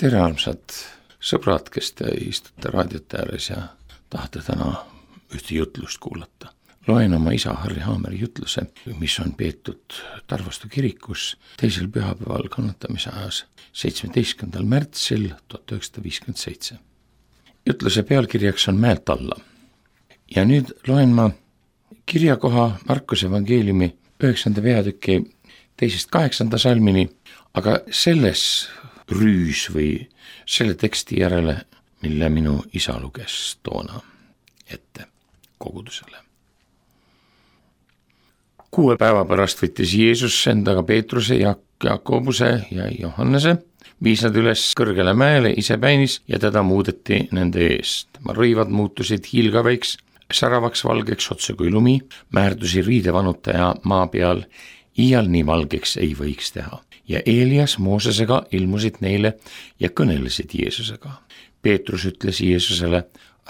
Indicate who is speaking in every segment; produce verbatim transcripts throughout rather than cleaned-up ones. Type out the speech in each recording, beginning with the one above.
Speaker 1: tere armsad sõbrad, kes te istute raadiote ääres ja tahate täna ühte jutlust kuulata. Loen oma isa Harri Haameri jutluse, mis on peetud Tarvastu kirikus teisel pühapäeval kannatamise ajas seitsmeteistkümnendal märtsil tuhat üheksasada viiskümmend seitse. Jutluse pealkirjaks on Mäelt alla. Ja nüüd loen ma kirjakoha Markuse evangeeliumi üheksanda peatüki teisest kaheksanda salmini, aga selles rüüs või selle teksti järele, mille minu isa luges toona ette kogudusele. Kuue päeva pärast võttis Jeesus endaga Peetruse, Jakobuse ja Johannese, viis nad üles kõrgele mäele isepäinis ja teda muudeti nende eest. Rõivad muutusid hiilgaveiks, säravaks valgeks otse kui lumi, määrdusi riidevanutaja maa peal, iial nii valgeks ei võiks teha. Ja Eelias Moosesega ilmusid neile ja kõnelesid Jeesusega. Peetrus ütles Jeesusele,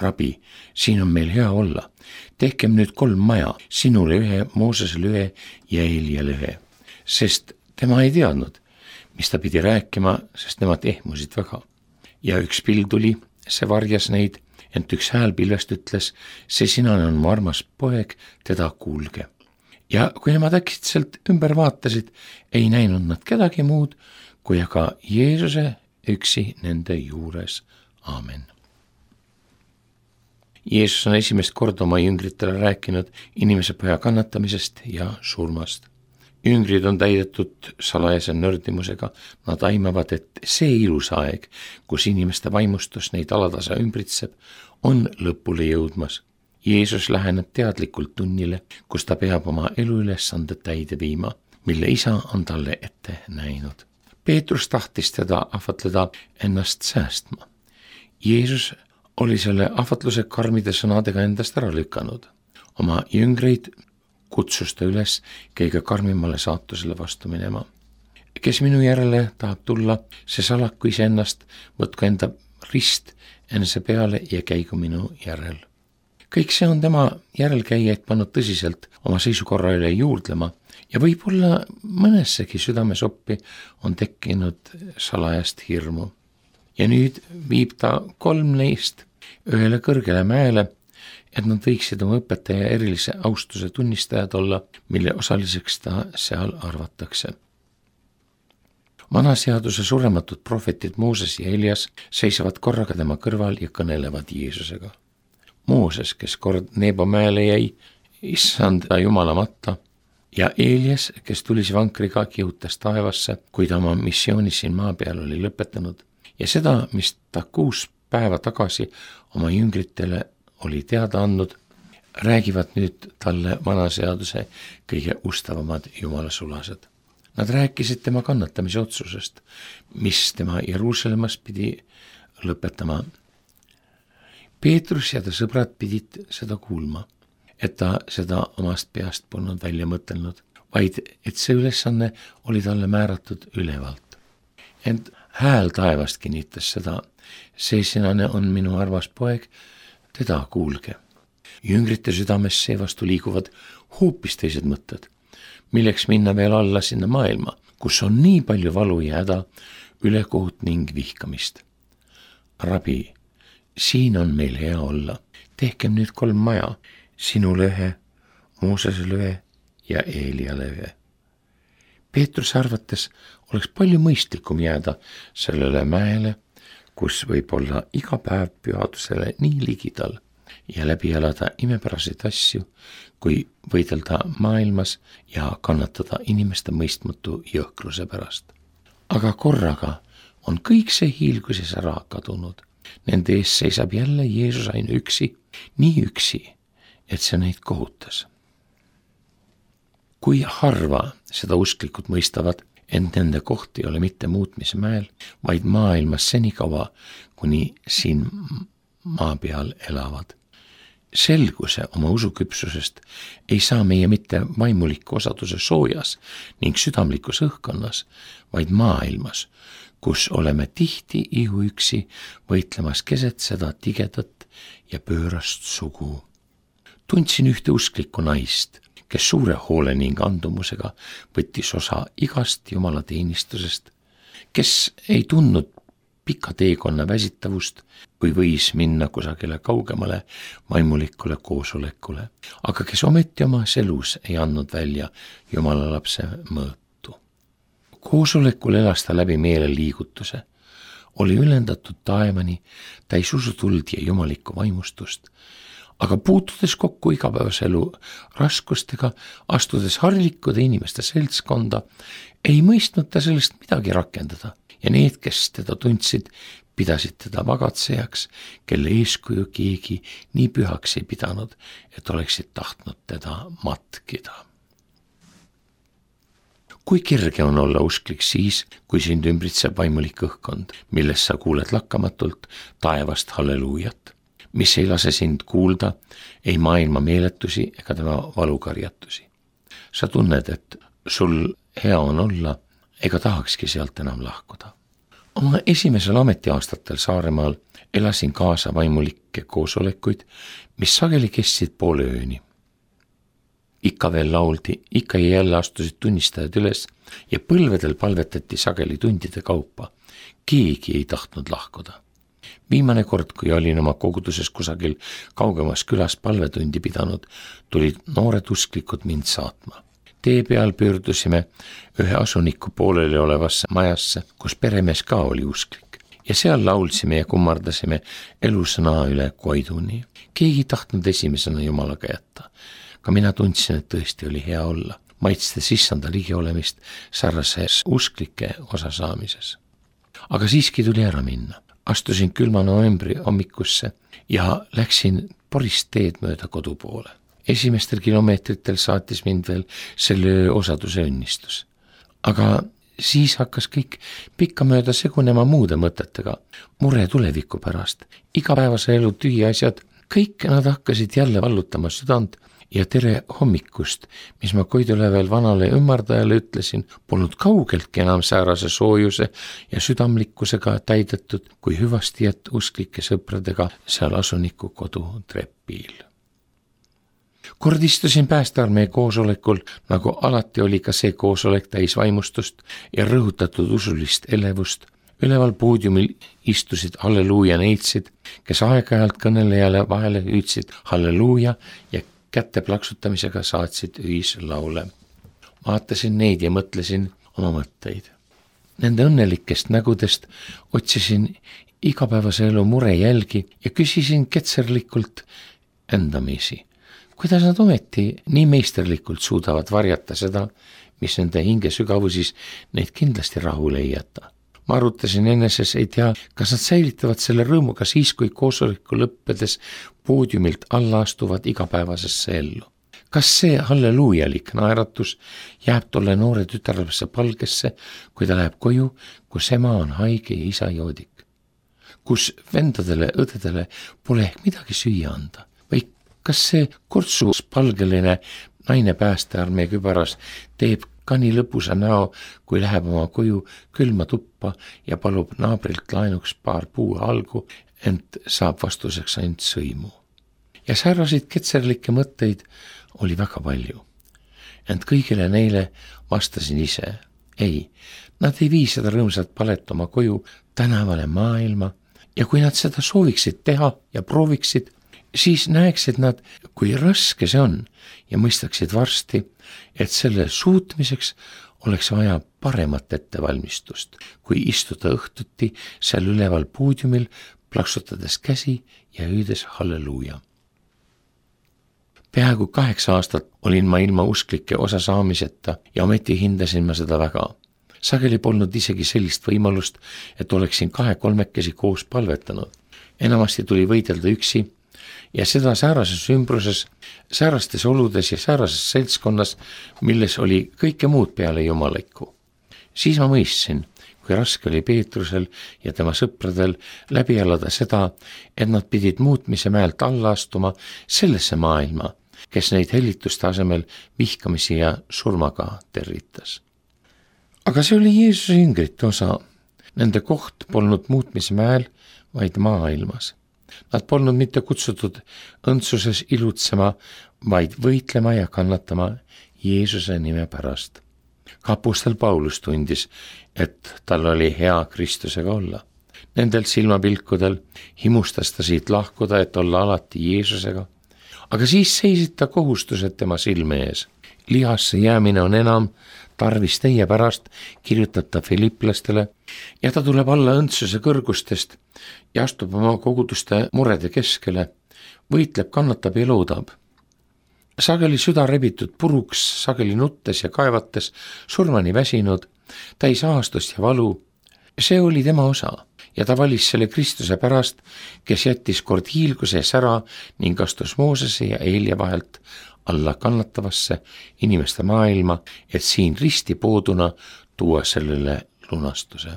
Speaker 1: rabi, siin on meil hea olla. Tehkem nüüd kolm maja, sinule ühe, Moosesele ühe ja Eeliale ühe. Sest tema ei teadnud, mis ta pidi rääkima, sest nemad ehmusid väga. Ja üks pilv tuli, see varjas neid, ent üks hääl pilvest ütles, see sinane on mu armas poeg, teda kuulge. Ja kui nemad äkitselt ümber vaatasid, ei näinud nad kedagi muud, kui aga Jeesuse üksi nende juures. Aamen. Jeesus on esimest korda oma jüngritele rääkinud inimese poja kannatamisest ja surmast. Jüngrid on täidetud salajase nördimusega, nad aimavad, et see ilus aeg, kus inimeste vaimustus neid alatasa ümbritseb, on lõpule jõudmas. Jeesus läheneb teadlikult tunnile, kus ta peab oma eluülesande täide viima, mille isa on talle ette näinud. Peetrus tahtis teda ahvatleda ennast säästma. Jeesus oli selle ahvatluse karmide sõnadega endast ära lükanud. Oma jüngreid kutsus ta üles kõige karmimale saatusele vastu minema. Kes minu järele tahab tulla, see salaku iseennast, võtku enda rist enese peale ja käigu minu järel. Kõik see on tema järelkäijaid pannud tõsiselt oma seisukorra üle juurdlema ja võib-olla mõnessegi südamesoppi on tekkinud salajast hirmu. Ja nüüd viib ta kolm neist ühele kõrgele mäele, et nad võiksid oma õpetaja erilise austuse tunnistajad olla, mille osaliseks ta seal arvatakse. Vanaseaduse surematud prohvetid Mooses ja Elias seisavad korraga tema kõrval ja kõnelevad Jeesusega. Mooses, kes kord Nebo mäele jäi, issand Jumala matta, ja Elias, kes tulis vankriga kihutas taevasse, kui ta oma missioonis siin maa peal oli lõpetanud, ja seda, mis ta kuus päeva tagasi oma jüngritele oli teada andnud, räägivad nüüd talle vanaseaduse kõige ustavamad jumalasulased. Nad rääkisid tema kannatamise otsusest, mis tema Jeruusalemmas pidi lõpetama. Peetrus ja ta sõbrad pidid seda kuulma, et ta seda omast peast polnud välja mõtelnud, vaid et see ülesanne oli talle määratud ülevalt. Ent hääl taevast kinnitas seda, see sinane on minu armas poeg, teda kuulge. Jüngrite südames seevastu liiguvad hoopis teised mõtted, milleks minna veel alla sinna maailma, kus on nii palju valu ja häda, ülekohut ning vihkamist. Rabi, siin on meil hea olla. Tehkem nüüd kolm maja, sinule ühe, Moosesele ühe ja Eeliale ühe. Peetrus arvates oleks palju mõistlikum jääda sellele mäele, kus võib olla iga päev pühadusele nii ligidal ja läbi elada imepäraseid asju, kui võidelda maailmas ja kannatada inimeste mõistmatu jõhkruse pärast. Aga korraga on kõik see hiilguses ära kadunud. Nende ees seisab jälle Jeesus ainu üksi, nii üksi, et see neid kohutas. Kui harva seda usklikud mõistavad, ent nende koht ei ole mitte muutmise mäel, vaid maailmas senikaua, kuni siin maa peal elavad. Selguse oma usuküpsusest ei saa meie mitte vaimuliku osaduse soojas ning südamlikus õhkkonnas, vaid maailmas, kus oleme tihti ihuüksi võitlemas keset seda tigedat ja pöörast sugu. Tundsin ühte usklikku naist, kes suure hoole ning andumusega võttis osa igast Jumala teenistusest, kes ei tundnud pika teekonna väsitavust või võis minna kusagile kaugemale vaimulikule koosolekule, aga kes ometi omas elus ei andnud välja Jumala lapse mõõtu. Koosolekul elas ta läbi meeleliigutuse, oli ülendatud taevani, täis usutuld ja jumalikku vaimustust, aga puutudes kokku igapäevaselu raskustega, astudes harlikude inimeste seltskonda, ei mõistnud ta sellest midagi rakendada ja need, kes teda tundsid, pidasid teda magatsejaks, kelle eeskuju keegi nii pühaks ei pidanud, et oleksid tahtnud teda matkida. Kui kerge on olla usklik siis, kui sind ümbritseb vaimulik õhkkond, milles sa kuuled lakkamatult taevast halleluujat, mis ei lase sind kuulda ei maailma meeletusi ega tema valukarjatusi. Sa tunned, et sul hea on olla ega tahakski sealt enam lahkuda. Oma esimesel ametiaastatel Saaremaal elasin kaasa vaimulikke koosolekuid, mis sageli kestsid poole ööni. Ikka veel lauldi, ikka ja jälle astusid tunnistajad üles ja põlvedel palvetati sageli tundide kaupa. Keegi ei tahtnud lahkuda. Viimane kord, kui olin oma koguduses kusagil kaugemas külas palvetundi pidanud, tulid noored usklikud mind saatma. Tee peal pöördusime ühe asuniku pooleli olevasse majasse, kus peremees ka oli usklik. Ja seal laulsime ja kummardasime elusõna üle koiduni. Keegi tahtnud esimesena Jumalaga jätta. Ka mina tundsin, et tõesti oli hea olla, maitstes issanda ligi olemist sarnases usklike osasaamises. Aga siiski tuli ära minna. Astusin külma novembri hommikusse ja läksin porist teed mööda kodu poole. Esimestel kilomeetritel saatis mind veel selle öö osaduse õnnistus. Aga siis hakkas kõik pikka mööda segunema muude mõtetega, mure tuleviku pärast, igapäevase elu tühi asjad, kõik nad hakkasid jälle vallutama südant ja tere hommikust, mis ma Koidule veel vanale ümmardajale ütlesin, polnud kaugeltki enam säärase soojuse ja südamlikkusega täidetud kui hüvastijät usklike sõpradega seal asuniku kodu trepil. Kord istusin päästearmee koosolekul, nagu alati oli ka see koosolek täis vaimustust ja rõhutatud usulist elevust. Üleval poodiumil istusid halleluuja neitsid, kes aeg-ajalt kõnelejale vahele hüüdsid halleluuja ja kätte plaksutamisega saatsid ühislaule. Vaatasin neid ja mõtlesin oma mõtteid. Nende õnnelikest nägudest otsisin igapäevase elu mure jälgi ja küsisin ketserlikult endamisi. Kuidas nad ometi nii meisterlikult suudavad varjata seda, mis nende hinge sügavusis neid kindlasti rahule ei jäta. Ma arutasin eneses, ei tea, kas nad säilitavad selle rõõmuga siis, kui koosoleku lõppedes poodiumilt alla astuvad igapäevasesse ellu. Kas see halleluujalik naeratus jääb tolle noore tütarlapse palgesse, kui ta läheb koju, kus ema on haige ja isa joodik, kus vendadele, õdedele pole ehk midagi süüa anda? Või kas see kortsus palgeline naine päästearmee kübaras teeb ka nii lõpusa näo, kui läheb oma koju külma tuppa ja palub naabrilt laenuks paar puu algu, ent saab vastuseks ainult sõimu. Ja säärased ketserlikke mõtteid oli väga palju. Ent kõigile neile vastasin ise. Ei, nad ei vii seda rõõmsat palet oma koju tänavale maailma ja kui nad seda sooviksid teha ja prooviksid, siis näeksid nad, kui raske see on ja mõistaksid varsti, et selle suutmiseks oleks vaja paremat ettevalmistust, kui istuda õhtuti seal üleval poodiumil, plaksutades käsi ja hüüdes halleluuja. Peaaegu kaheksa aastat olin ma ilma usklike osa saamiseta ja ometi hindasin ma seda väga. Sageli polnud isegi sellist võimalust, et oleksin kahe-kolmekesi koos palvetanud. Enamasti tuli võidelda üksi ja seda säärases ümbruses, säärastes oludes ja säärases seltskonnas, milles oli kõike muud peale jumalikku. Siis ma mõistsin, kui raske oli Peetrusel ja tema sõpradel läbi elada seda, et nad pidid muutmise mäelt alla astuma sellesse maailma, kes neid hellituste asemel vihkamisi ja surmaga territas. Aga see oli Jeesuse jüngrite osa. Nende koht polnud muutmise mäel, vaid maailmas. Nad polnud mitte kutsutud õndsuses ilutsema, vaid võitlema ja kannatama Jeesuse nime pärast. Ka apostel Paulus tundis, et tal oli hea Kristusega olla. nendel silmapilkudel, himustas ta siit lahkuda, et olla alati Jeesusega. Aga siis seisid ta kohustused tema silme ees. Lihasse jäämine on enam tarvis teie pärast, kirjutab ta Filiplastele, ja ta tuleb alla õndsuse kõrgustest ja astub oma koguduste murede keskele, võitleb, kannatab ja loodab. Sageli süda rebitud puruks, sageli nuttes ja kaevates, surmani väsinud, täis ahastust ja valu. See oli tema osa ja ta valis selle Kristuse pärast, kes jättis kord hiilguse sära ning astus Moosese ja Eelia vahelt alla kannatavasse inimeste maailma, et siin risti pooduna tuua sellele lunastuse.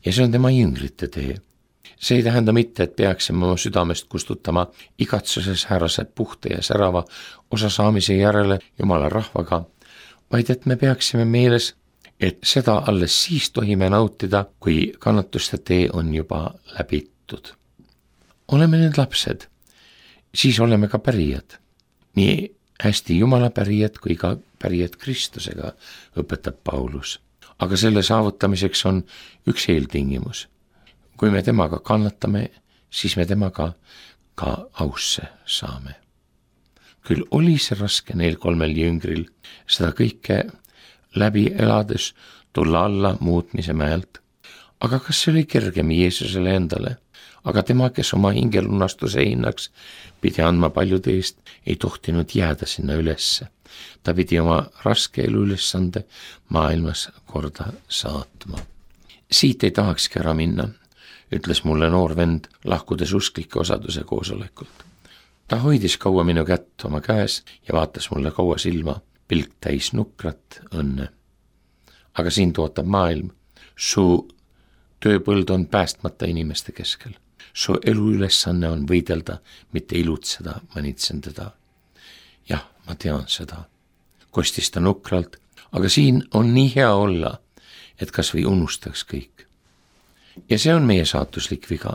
Speaker 1: Ja see on tema jüngrite tee. See ei tähenda mitte, et peaksime oma südamest kustutama igatsuses häärase puhta ja särava osa saamise järele Jumala rahvaga, vaid et me peaksime meeles, et seda alles siis tohime nautida, kui kannatuste tee on juba läbitud. Oleme need lapsed, siis oleme ka pärijad. Nii hästi Jumala pärijad kui ka pärijad Kristusega, õpetab Paulus. Aga selle saavutamiseks on üks eeltingimus. Kui me temaga kannatame, siis me temaga ka ausse saame. Küll oli see raske neil kolmel jüngril seda kõike läbi elades tulla alla muutmise mäelt. Aga kas see oli kergem Jeesusele endale? Aga tema, kes oma hingelunastuse hinnaks pidi andma paljude eest, ei tohtinud jääda sinna ülesse. Ta pidi oma raske elu ülesande maailmas korda saatma. Siit ei tahakski ära minna, ütles mulle noor vend, lahkudes usklike osaduse koosolekult. Ta hoidis kaua minu kätt oma käes ja vaatas mulle kaua silma, pilk täis nukrat õnne. Aga siin tootab maailm, su tööpõld on päästmata inimeste keskel. Su elu ülesanne on võidelda, mitte ilutseda, manitsen teda. Jah, ma tean seda. Kostis ta nukralt, aga siin on nii hea olla, et kas või unustaks kõik. Ja see on meie saatuslik viga.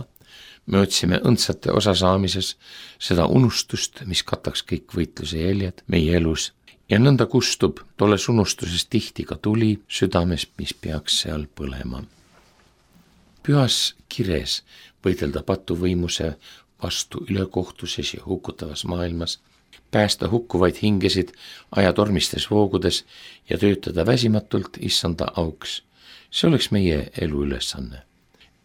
Speaker 1: Me otsime õndsate osasaamises seda unustust, mis kataks kõik võitluse jäljed meie elus, ja nõnda kustub tolles unustuses tihti ka tuli südames, mis peaks seal põlema. Pühas kires võidelda patuvõimuse vastu ülekohtuses ja hukutavas maailmas, päästa hukkuvaid hingesid ajatormistes voogudes ja töötada väsimatult issanda auks. See oleks meie elu ülesanne.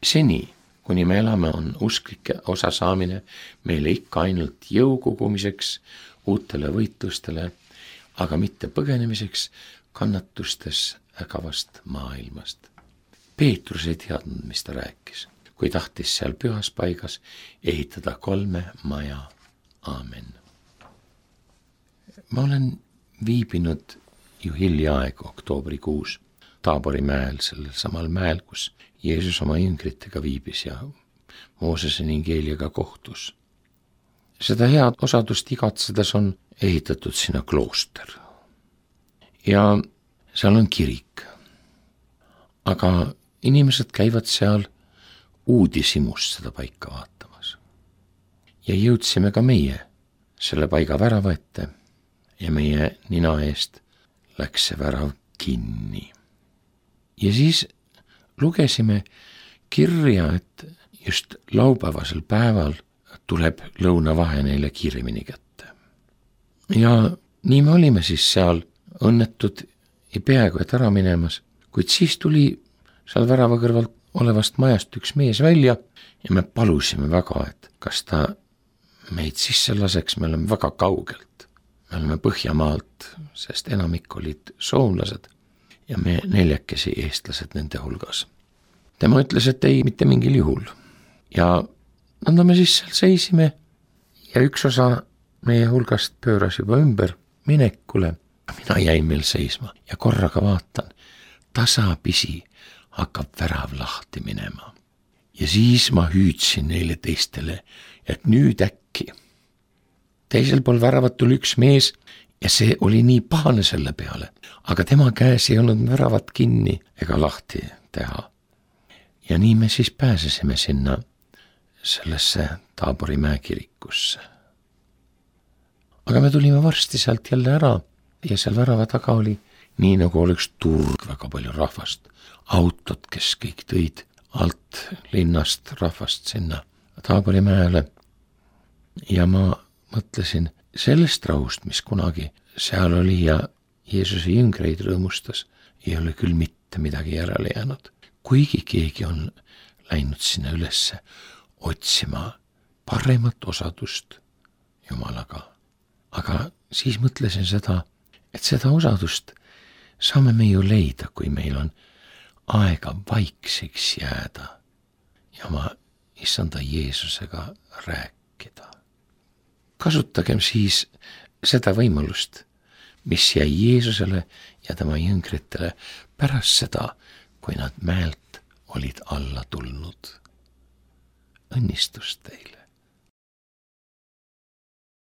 Speaker 1: Seni, kuni me elame, on usklike osasaamine meile ikka ainult jõu kogumiseks, uutele võitlustele, aga mitte põgenemiseks kannatustes ägavast maailmast. Peetrus ei teadnud, mis ta rääkis, kui tahtis seal pühas paigas ehitada kolme maja. Aamen. Ma olen viibinud ju hiljaaegu oktoobrikuus Taabori mäel, sellel samal mäel, kus Jeesus oma jüngritega viibis ja Moosese ning Eeliaga kohtus. Seda head osadust igatsedes on ehitatud sinna klooster. Ja seal on kirik. Aga inimesed käivad seal uudishimust seda paika vaatamas. Ja jõudsime ka meie selle paiga värava ette ja meie nina eest läks see värav kinni. Ja siis lugesime kirja, et just laupäevasel päeval tuleb lõunavahe neile kiiremini kätte. Ja nii me olime siis seal õnnetud ja peaaegu et ära minemas, kuid siis tuli seal värava kõrvalt olevast majast üks mees välja ja me palusime väga, et kas ta meid sisse laseks, me oleme väga kaugelt. Me oleme Põhjamaalt, sest enamik olid soomlased ja me neljakesi eestlased nende hulgas. Tema ütles, et ei, mitte mingil juhul. Ja nõnda me siis seal seisime ja üks osa meie hulgast pööras juba ümber minekule. Mina jäin meil seisma ja korraga vaatan, tasapisi hakkab värav lahti minema. Ja siis ma hüüdsin neile teistele, et nüüd äkki. Teisel pool väravat tuli üks mees ja see oli nii pahane selle peale, aga tema käes ei olnud väravat kinni ega lahti teha. Ja nii me siis pääsesime sinna sellesse Taabori mäekirikusse. Aga me tulime varsti sealt jälle ära ja seal värava taga oli nii nagu oleks turg, väga palju rahvast, autod, kes kõik tõid alt linnast rahvast sinna Taabori mäele ja ma mõtlesin sellest rahust, mis kunagi seal oli ja Jeesuse jüngreid rõõmustas, ei ole küll mitte midagi järele jäänud. Kuigi keegi on läinud sinna ülesse otsima paremat osadust Jumalaga. Aga siis mõtlesin seda, et seda osadust saame me ju leida, kui meil on aega vaikseks jääda ja ma issanda Jeesusega rääkida. Kasutagem siis seda võimalust, mis jäi Jeesusele ja tema jüngritele pärast seda, kui nad mäelt olid alla tulnud. Õnnistust teile!